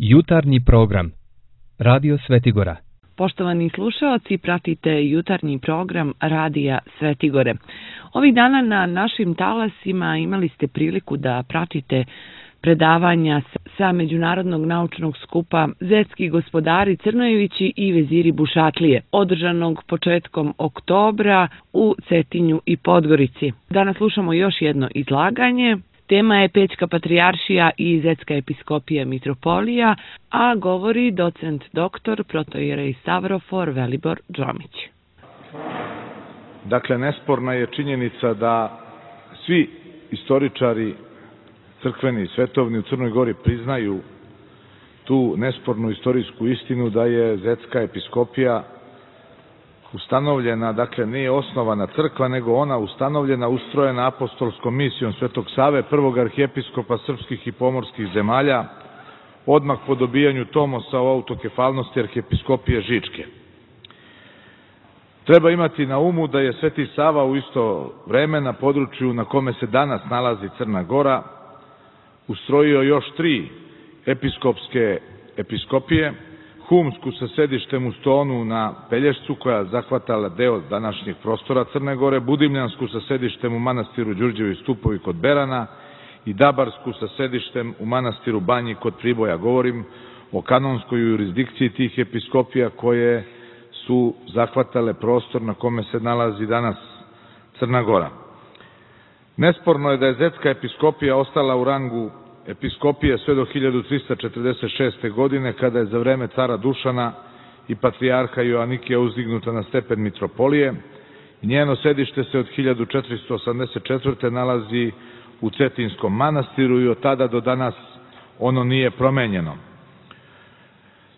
Jutarnji program Radio Svetigora. Poštovani slušaoci, pratite jutarnji program Radija Svetigore. Ovih dana na našim talasima imali ste priliku da pratite predavanja sa Međunarodnog naučnog skupa Zetski gospodari Crnojevići i veziri Bušatlije, održanog početkom oktobra u Cetinju i Podgorici. Danas slušamo još jedno izlaganje. Tema je Pećka patrijaršija i Zetska episkopija mitropolija, a govori docent doktor protoijerej Stavrofor Velibor Džomić. Dakle, nesporna je činjenica da svi istoričari crkveni i svetovni u Crnoj Gori priznaju tu nespornu istorijsku istinu da je Zetska episkopija ustanovljena, dakle nije osnovana crkva, nego ona ustanovljena, ustrojena apostolskom misijom Svetog Save, prvog arhijepiskopa srpskih i pomorskih zemalja, odmah po dobijanju tomosa o autokefalnosti arhijepiskopije Žičke. Treba imati na umu da je Sveti Sava u isto vreme na području na kome se danas nalazi Crna Gora ustrojio još 3 episkopske episkopije, Humsku sa sedištem u Stonu na Pelješcu, koja zahvatala deo današnjeg prostora Crne Gore, Budimljansku sa sedištem u manastiru Đurđevi Stupovi kod Berana i Dabarsku sa sedištem u manastiru Banji kod Priboja. Govorim o kanonskoj jurisdikciji tih episkopija koje su zahvatale prostor na kome se nalazi danas Crna Gora. Nesporno je da je Zetska episkopija ostala u rangu episkopije sve do 1346. godine, kada je za vreme cara Dušana i patrijarha Joanikija uzdignuta na stepen mitropolije. Njeno sedište se od 1484. nalazi u Cetinskom manastiru i od tada do danas ono nije promenjeno.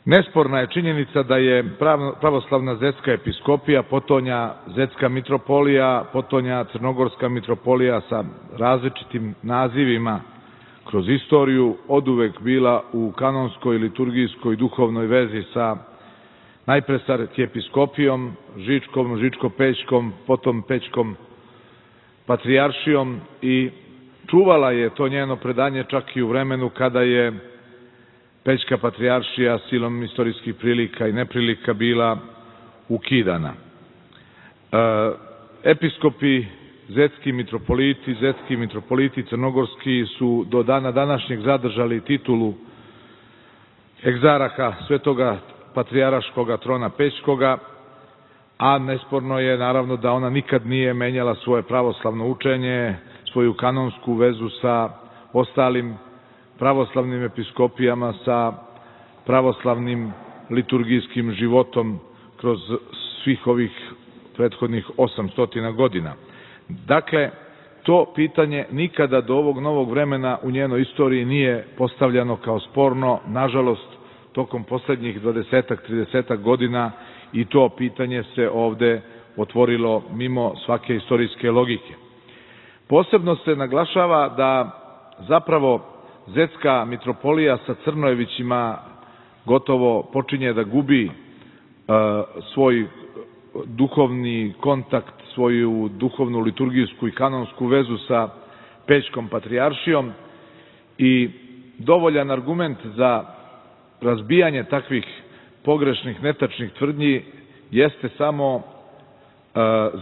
Nesporna je činjenica da je pravoslavna Zetska episkopija, potonja Zetska mitropolija, potonja Crnogorska mitropolija sa različitim nazivima kroz istoriju oduvek bila u kanonskoj, liturgijskoj, duhovnoj vezi sa najpre sa arhijepiskopijom Žičkom, Žičko-Pećkom, potom Pećkom patrijaršijom i čuvala je to njeno predanje čak i u vremenu kada je Pećka patrijaršija silom istorijskih prilika i neprilika bila ukidana. Episkopi Zetski mitropoliti crnogorski su do dana današnjeg zadržali titulu egzaraha Svetoga patrijarškoga trona Pećkoga, a nesporno je naravno da ona nikad nije menjala svoje pravoslavno učenje, svoju kanonsku vezu sa ostalim pravoslavnim episkopijama, sa pravoslavnim liturgijskim životom kroz svih ovih prethodnih 800 godina. Dakle, to pitanje nikada do ovog novog vremena u njenoj istoriji nije postavljano kao sporno. Nažalost, tokom poslednjih 20-30 godina i to pitanje se ovde otvorilo mimo svake istorijske logike. Posebno se naglašava da zapravo Zetska mitropolija sa Crnojevićima gotovo počinje da gubi svoj duhovni kontakt, svoju duhovnu, liturgijsku i kanonsku vezu sa Pećkom patrijaršijom i dovoljan argument za razbijanje takvih pogrešnih, netačnih tvrdnji jeste samo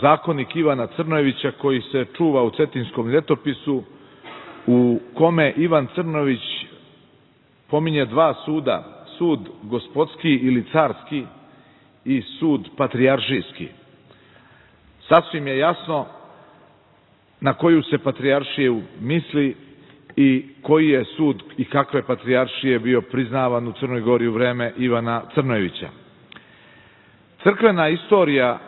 zakonik Ivana Crnojevića koji se čuva u Cetinskom ljetopisu, u kome Ivan Crnojević pominje 2 suda, sud gospodski ili carski i sud patrijaršijski. Sasvim je jasno na koju se patrijaršiju misli i koji je sud i kakve patrijaršije bio priznavan u Crnoj Gori u vreme Ivana Crnojevića. Crkvena istorija,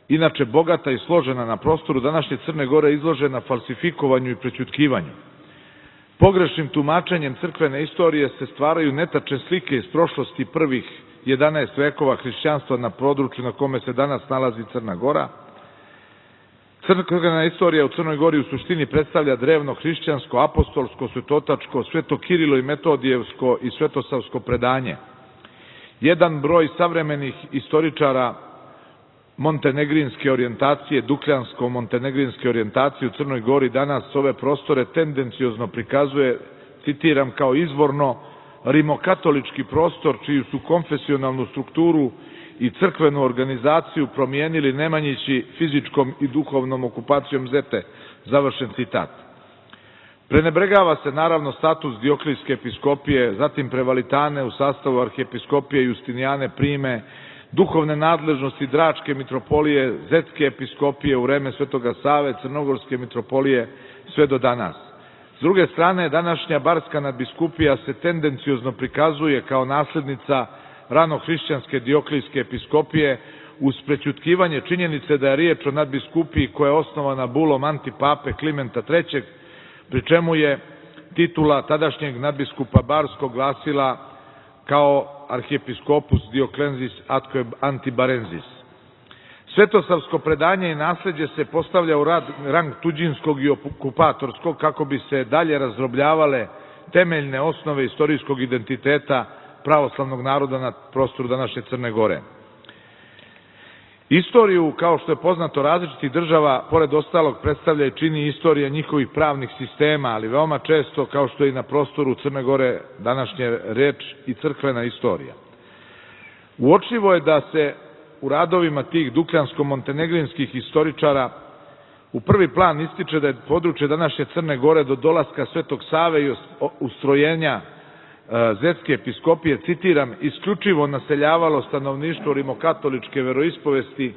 inače bogata i složena na prostoru današnje Crne Gore, izložena falsifikovanju i prećutkivanju. Pogrešnim tumačenjem crkvene istorije se stvaraju netačne slike iz prošlosti prvih 11 vekova hrišćanstva na području na kome se danas nalazi Crna Gora. Crkvena istorija u Crnoj Gori u suštini predstavlja drevno hrišćansko, apostolsko, svetotačko, svetokirilo i metodijevsko i svetosavsko predanje. Jedan broj savremenih istoričara montenegrinske orijentacije, dukljansko-montenegrinske orijentacije u Crnoj Gori danas ove prostore tendenciozno prikazuje, citiram, kao izvorno rimokatolički prostor čiju su konfesionalnu strukturu i crkvenu organizaciju promijenili Nemanjići fizičkom i duhovnom okupacijom Zete, završen citat. Prenebregava se naravno status Dioklijske episkopije, zatim Prevalitane u sastavu arhijepiskopije Justinijane Prime, duhovne nadležnosti Dračke mitropolije, Zetske episkopije u vreme Svetoga Save, Crnogorske mitropolije sve do danas. S druge strane, današnja Barska nadbiskupija se tendenciozno prikazuje kao naslednica ranohrišćanske Dioklijske episkopije uz prećutkivanje činjenice da je riječ o nadbiskupiji koja je osnovana bulom antipape Klimenta III, pri čemu je titula tadašnjeg nadbiskupa Barskog glasila kao arhijepiskopus Dioklenzis atque antibarensis. Svetosavsko predanje i nasljeđe se postavlja u rang tuđinskog i okupatorskog kako bi se dalje razdrobljavale temeljne osnove istorijskog identiteta pravoslavnog naroda na prostoru današnje Crne Gore. Istoriju, kao što je poznato različitih država, pored ostalog predstavlja i čini istorija njihovih pravnih sistema, ali veoma često, kao što je i na prostoru Crne Gore današnje reč, i crkvena istorija. Uočljivo je da se u radovima tih dukljansko-montenegrinskih istoričara u prvi plan ističe da je područje današnje Crne Gore do dolaska Svetog Save i ustrojenja Zetske episkopije, citiram, isključivo naseljavalo stanovništvo rimokatoličke veroispovesti,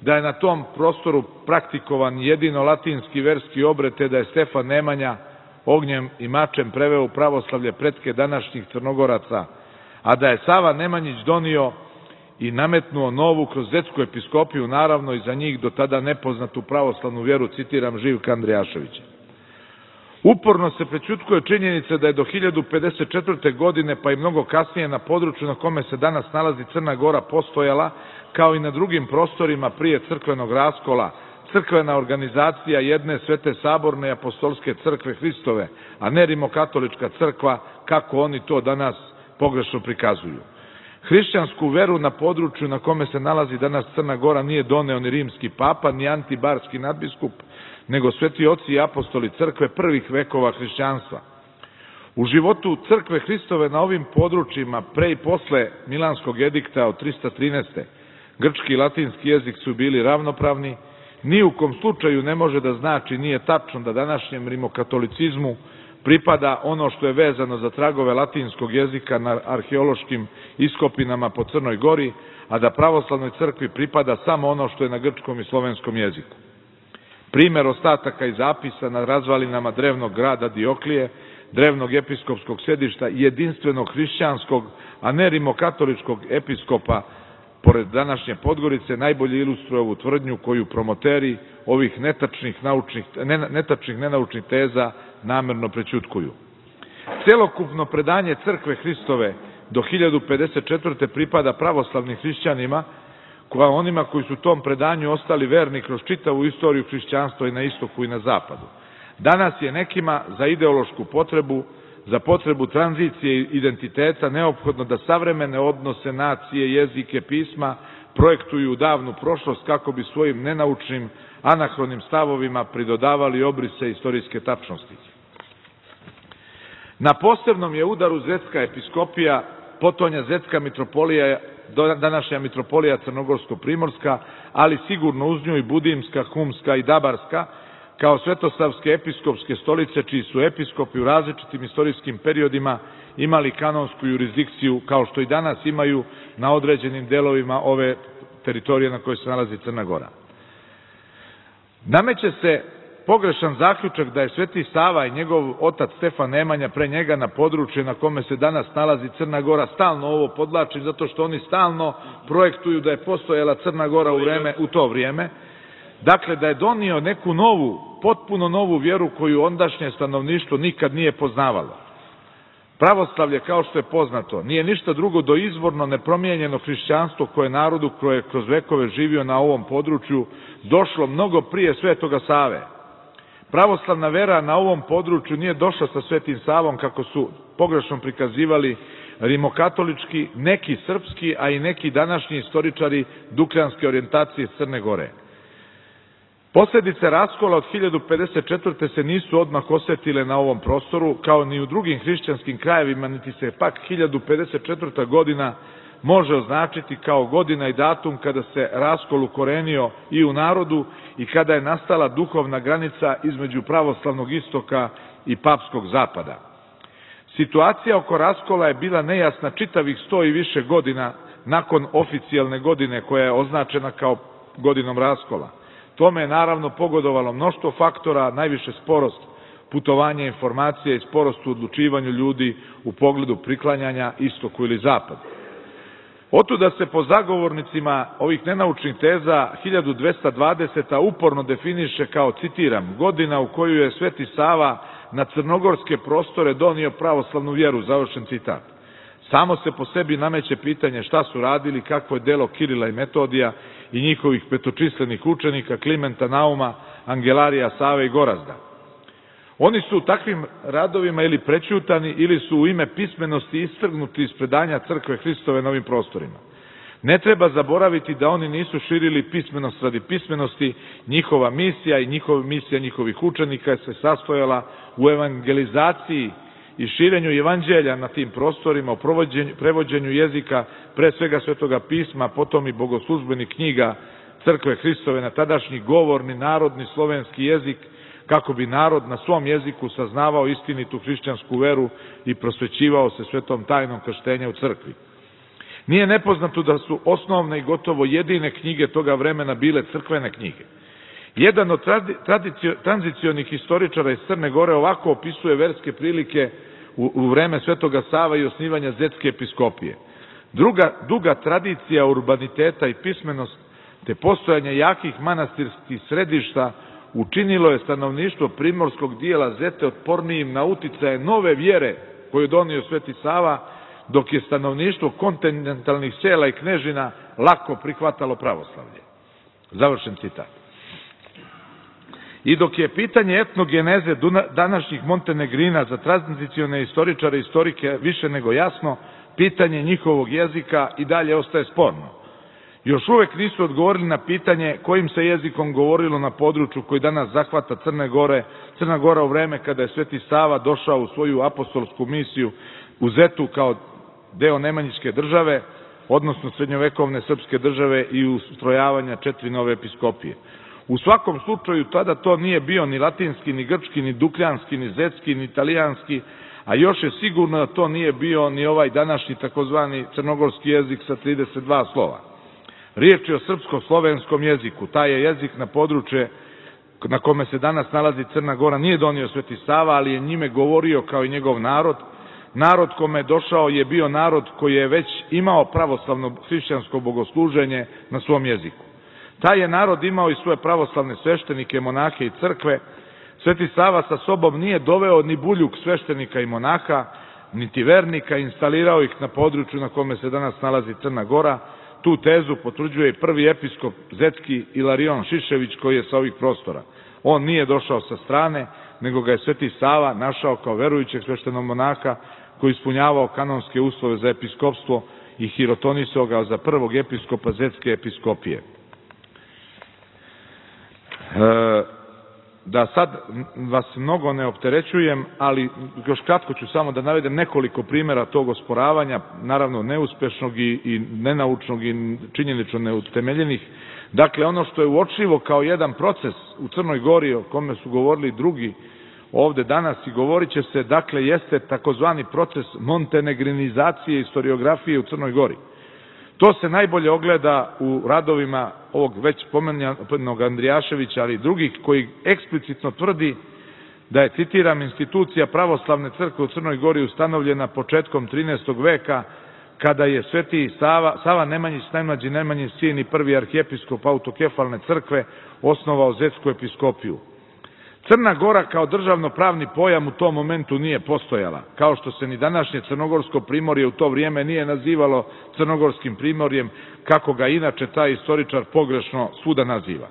da je na tom prostoru praktikovan jedino latinski verski obred, te da je Stefan Nemanja ognjem i mačem preveo u pravoslavlje pretke današnjih Crnogoraca, a da je Sava Nemanjić donio i nametnuo novu kroz Zetsku episkopiju, naravno i za njih do tada nepoznatu pravoslavnu vjeru, citiram Živka Andrijaševića. Uporno se prećutkuje činjenica da je do 1054. godine, pa i mnogo kasnije, na području na kome se danas nalazi Crna Gora postojala, kao i na drugim prostorima prije crkvenog raskola, crkvena organizacija jedne Svete Saborne i apostolske crkve Hristove, a ne rimokatolička crkva, kako oni to danas pogrešno prikazuju. Hrišćansku veru na području na kome se nalazi danas Crna Gora nije doneo ni rimski papa, ni antibarski nadbiskup, nego sveti oci i apostoli crkve prvih vekova hrišćanstva. U životu crkve Hristove na ovim područjima pre i posle Milanskog edikta od 313. grčki i latinski jezik su bili ravnopravni, ni u kom slučaju ne može da znači, nije tačno da današnjem rimokatolicizmu pripada ono što je vezano za tragove latinskog jezika na arheološkim iskopinama po Crnoj Gori, a da pravoslavnoj crkvi pripada samo ono što je na grčkom i slovenskom jeziku. Primer ostataka i zapisa na razvalinama drevnog grada Dioklije, drevnog episkopskog sedišta i jedinstvenog hrišćanskog, a ne rimokatoličkog episkopa pored današnje Podgorice, najbolje ilustruje ovu tvrdnju koju promoteri ovih netačnih nenaučnih teza namerno prećutkuju. Celokupno predanje crkve Hristove do 1054. pripada pravoslavnim hrišćanima, kao onima koji su tom predanju ostali verni kroz čitavu istoriju hrišćanstva i na istoku i na zapadu. Danas je nekima za ideološku potrebu, za potrebu tranzicije i identiteta neophodno da savremene odnose nacije, jezike, pisma projektuju u davnu prošlost kako bi svojim nenaučnim, anahronim stavovima pridodavali obrise istorijske tačnosti. Na posebnom je udaru Zetska episkopija, potonja Zetska mitropolija, današnja mitropolija Crnogorsko-Primorska, ali sigurno uz nju i Budimska, Humska i Dabarska, kao svetosavske episkopske stolice, čiji su episkopi u različitim istorijskim periodima imali kanonsku jurisdikciju, kao što i danas imaju na određenim delovima ove teritorije na kojoj se nalazi Crna Gora. Nameće se pogrešan zaključak da je Sveti Sava i njegov otac Stefan Nemanja pre njega na području na kome se danas nalazi Crna Gora, stalno ovo podvlačim zato što oni stalno projektuju da je postojala Crna Gora u to vrijeme, dakle da je donio neku novu, potpuno novu vjeru koju ondašnje stanovništvo nikad nije poznavalo. Pravoslavlje, kao što je poznato, nije ništa drugo do izvorno nepromijenjeno hrišćanstvo koje narodu koje je kroz vekove živio na ovom području došlo mnogo prije Svetoga Save. Pravoslavna vera na ovom području nije došla sa Svetim Savom kako su pogrešno prikazivali rimokatolički, neki srpski, a i neki današnji istoričari dukljanske orijentacije Crne Gore. Posljedice raskola od 1054. se nisu odmah osjetile na ovom prostoru, kao ni u drugim hrišćanskim krajevima, niti se pak 1054. godina može označiti kao godina i datum kada se raskol ukorenio i u narodu i kada je nastala duhovna granica između pravoslavnog istoka i papskog zapada. Situacija oko raskola je bila nejasna čitavih 100 i više godina nakon oficijalne godine koja je označena kao godinom raskola. Tome je naravno pogodovalo mnoštvo faktora, najviše sporost putovanja informacije i sporost u odlučivanju ljudi u pogledu priklanjanja istoku ili zapadu. Otuda se po zagovornicima ovih nenaučnih teza 1220. uporno definiše kao, citiram, godina u koju je Sveti Sava na crnogorske prostore donio pravoslavnu vjeru, završen citat. Samo se po sebi nameće pitanje šta su radili, kakvo je delo Kirila i Metodija i njihovih petočislenih učenika Klimenta Nauma, Angelarija, Save i Gorazda. Oni su u takvim radovima ili prećutani ili su u ime pismenosti istrgnuti iz predanja Crkve Hristove na ovim prostorima. Ne treba zaboraviti da oni nisu širili pismenost radi pismenosti, njihova misija i misija njihovih učenika se sastojala u evangelizaciji i širenju evanđelja na tim prostorima, u prevođenju jezika, pre svega Svetoga pisma, potom i bogoslužbenih knjiga Crkve Hristove na tadašnji govorni, narodni, slovenski jezik, kako bi narod na svom jeziku saznavao istinitu hrišćansku veru i prosvećivao se svetom tajnom krštenja u crkvi. Nije nepoznato da su osnovne i gotovo jedine knjige toga vremena bile crkvene knjige. Jedan od tranzicionih historičara iz Crne Gore ovako opisuje verske prilike u vreme Svetoga Sava i osnivanja Zetske episkopije. Duga tradicija urbaniteta i pismenost te postojanje jakih manastirskih središta učinilo je stanovništvo primorskog dijela Zete otpornijim na uticaje nove vjere koju je donio Sveti Sava, dok je stanovništvo kontinentalnih sela i knežina lako prihvatalo pravoslavlje. Završen citat. I dok je pitanje etnogeneze današnjih Montenegrina za tranzicione istoričare i historike više nego jasno, pitanje njihovog jezika i dalje ostaje sporno. Još uvek nisu odgovorili na pitanje kojim se jezikom govorilo na području koji danas zahvata Crna Gora u vreme kada je Sveti Sava došao u svoju apostolsku misiju u Zetu kao deo Nemanjićke države, odnosno srednjovekovne srpske države i ustrojavanja 4 nove episkopije. U svakom slučaju tada to nije bio ni latinski, ni grčki, ni dukljanski, ni zetski, ni italijanski, a još je sigurno da to nije bio ni ovaj današnji takozvani crnogorski jezik sa 32 slova. Riječ je o srpsko-slovenskom jeziku. Taj je jezik na područje na kome se danas nalazi Crna Gora nije donio Sveti Sava, ali je njime govorio kao i njegov narod. Narod kome je došao je bio narod koji je već imao pravoslavno hrišćansko bogosluženje na svom jeziku. Taj je narod imao i svoje pravoslavne sveštenike, monahe i crkve. Sveti Sava sa sobom nije doveo ni buljuk sveštenika i monaha, niti vernika, instalirao ih na području na kome se danas nalazi Crna Gora. Tu tezu potvrđuje i prvi episkop zetski Ilarion Šišević koji je sa ovih prostora. On nije došao sa strane, nego ga je Sveti Sava našao kao verujućeg sveštenog monaha koji ispunjavao kanonske uslove za episkopstvo i hirotonisao ga za prvog episkopa Zetske episkopije. Da sad vas mnogo ne opterećujem, ali još kratko ću samo da navedem nekoliko primjera tog osporavanja, naravno neuspešnog i nenaučnog i činjenično neutemeljenih. Dakle, ono što je uočljivo kao jedan proces u Crnoj Gori, o kome su govorili drugi ovde danas i govorit će se, dakle, jeste takozvani proces montenegrinizacije istoriografije u Crnoj Gori. To se najbolje ogleda u radovima ovog već pomenunog Andrijaševića, ali i drugih, koji eksplicitno tvrdi da je, citiram, institucija pravoslavne crkve u Crnoj Gori ustanovljena početkom 13. veka, kada je Sveti Sava Nemanjić, najmlađi Nemanjin sin i prvi arhijepiskop autokefalne crkve, osnovao Zetsku episkopiju. Crna Gora kao državno-pravni pojam u tom momentu nije postojala, kao što se ni današnje Crnogorsko primorje u to vrijeme nije nazivalo Crnogorskim primorjem, kako ga inače taj istoričar pogrešno svuda naziva.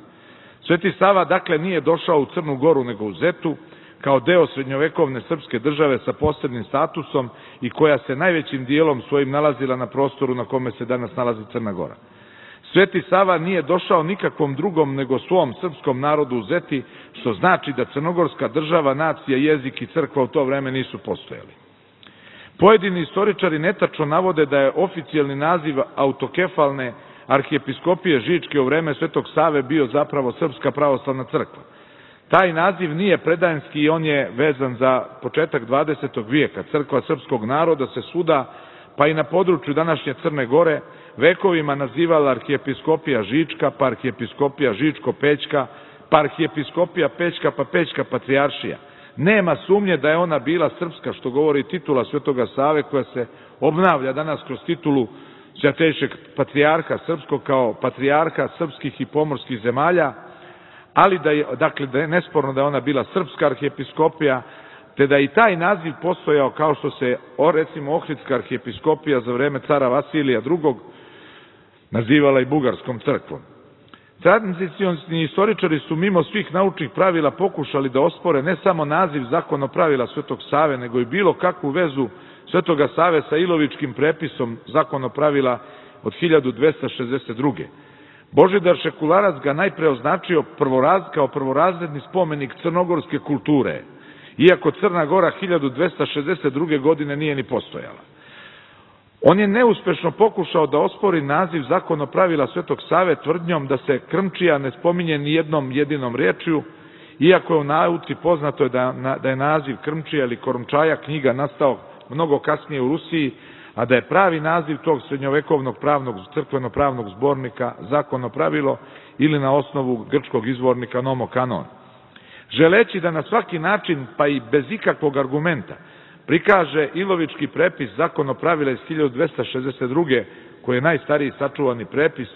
Sveti Sava, dakle, nije došao u Crnu Goru nego u Zetu, kao deo srednjovekovne srpske države sa posebnim statusom i koja se najvećim dijelom svojim nalazila na prostoru na kome se danas nalazi Crna Gora. Sveti Sava nije došao nikakvom drugom nego svom srpskom narodu uzeti, što znači da crnogorska država, nacija, jezik i crkva u to vreme nisu postojali. Pojedini istoričari netačno navode da je oficijalni naziv autokefalne arhijepiskopije Žičke u vreme Svetog Save bio zapravo Srpska pravoslavna crkva. Taj naziv nije predajanski i on je vezan za početak 20. vijeka. Crkva srpskog naroda se svuda, pa i na području današnje Crne Gore, vekovima nazivala arhijepiskopija Žička, pa arhijepiskopija Žičko-Pećka, pa arhijepiskopija Pećka, pa Pećka patrijaršija. Nema sumnje da je ona bila srpska, što govori titula Svetoga Save, koja se obnavlja danas kroz titulu Svjatejšeg patrijarha srpskog kao patrijarha srpskih i pomorskih zemalja, ali da je nesporno da je ona bila srpska arhijepiskopija, te da i taj naziv postojao kao što se recimo Ohridska arhijepiskopija za vreme cara Vasilija II. Nazivala i bugarskom crkvom. Tradicionalni istoričari su mimo svih naučnih pravila pokušali da ospore ne samo naziv zakonopravila Svetog Save, nego i bilo kakvu vezu Svetoga Save sa Ilovičkim prepisom zakonopravila od 1262. Božidar Šekularac ga najpre označio kao prvorazredni spomenik crnogorske kulture, iako Crna Gora 1262. godine nije ni postojala. On je neuspešno pokušao da ospori naziv zakonopravila Svetog Save tvrdnjom da se Krmčija ne spominje ni jednom jedinom riječju, iako je u nauci poznato da je naziv Krmčija ili Korumčaja knjiga nastao mnogo kasnije u Rusiji, a da je pravi naziv tog srednjovekovnog crkveno-pravnog zbornika zakonopravilo ili na osnovu grčkog izvornika nomokanon. Želeći da na svaki način, pa i bez ikakvog argumenta, prikaže Ilovički prepis zakonopravila iz 1262. koji je najstariji sačuvani prepis,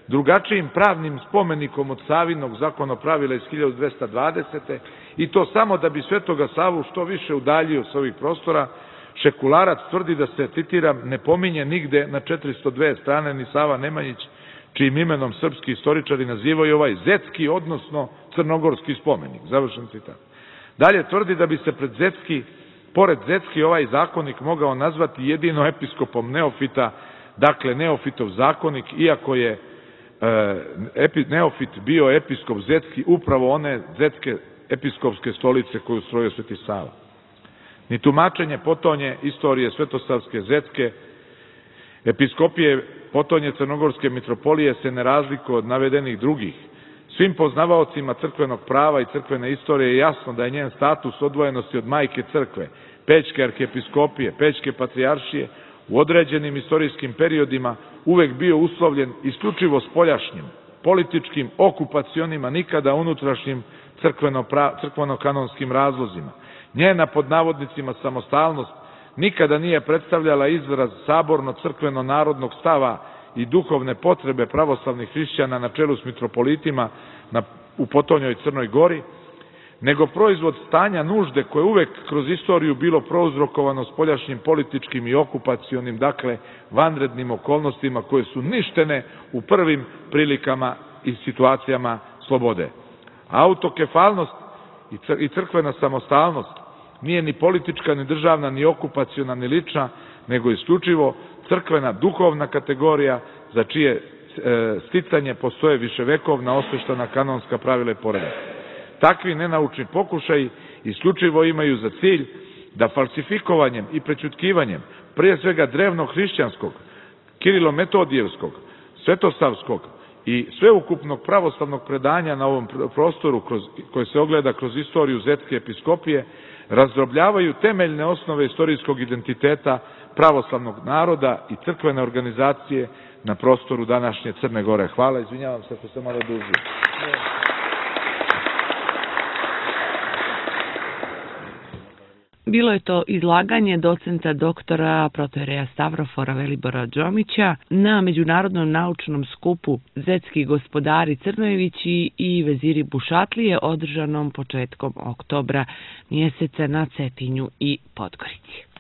drugačijim pravnim spomenikom od Savinog zakonopravila iz 1220. i to samo da bi Svetoga Savu što više udaljio s ovih prostora, Šekularac tvrdi da se, citiram, ne pominje nigde na 402 strane ni Sava Nemanjić, čijim imenom srpski istoričari nazivaju ovaj zetski, odnosno crnogorski spomenik. Završen citat. Dalje tvrdi da bi se pored zetski ovaj zakonik mogao nazvati jedino episkopom neofita, dakle neofitov zakonik, iako je neofit bio episkop zetski upravo one zetske episkopske stolice koju ustrojio Sveti Sava. Ni tumačenje potonje istorije Svetosavske zetske episkopije potonje Crnogorske mitropolije se ne razlikuje od navedenih drugih. Svim poznavaocima crkvenog prava i crkvene istorije je jasno da je njen status odvojenosti od majke crkve, Pećke arhijepiskopije, Pećke patrijaršije, u određenim istorijskim periodima uvek bio uslovljen isključivo spoljašnjim, političkim, okupacionima, nikada unutrašnjim crkveno-kanonskim razlozima. Njena pod navodnicima samostalnost nikada nije predstavljala izraz saborno-crkveno-narodnog stava i duhovne potrebe pravoslavnih hrišćana na čelu s mitropolitima u potonjoj Crnoj Gori, nego proizvod stanja nužde koje uvek kroz istoriju bilo prouzrokovano spoljašnjim političkim i okupacionim, dakle vanrednim okolnostima koje su ništene u prvim prilikama i situacijama slobode. Autokefalnost i crkvena samostalnost nije ni politička, ni državna, ni okupaciona, ni lična, nego isključivo crkvena duhovna kategorija za čije sticanje postoje viševekovna osveštana kanonska pravila i poredak. Takvi nenaučni pokušaji isključivo imaju za cilj da falsifikovanjem i prećutkivanjem prije svega drevnog hrišćanskog, Kirilo-Metodijevskog, Svetosavskog i sveukupnog pravoslavnog predanja na ovom prostoru koje se ogleda kroz istoriju zetske episkopije, razdrobljavaju temeljne osnove istorijskog identiteta pravoslavnog naroda i crkvene organizacije na prostoru današnje Crne Gore. Hvala, izvinjavam se ako sam malo dužio. Bilo je to izlaganje docenta doktora protoijereja Stavrofora Velibora Đomića na Međunarodnom naučnom skupu Zetski gospodari Crnojevići i veziri Bušatlije održanom početkom oktobra mjeseca na Cetinju i Podgorici.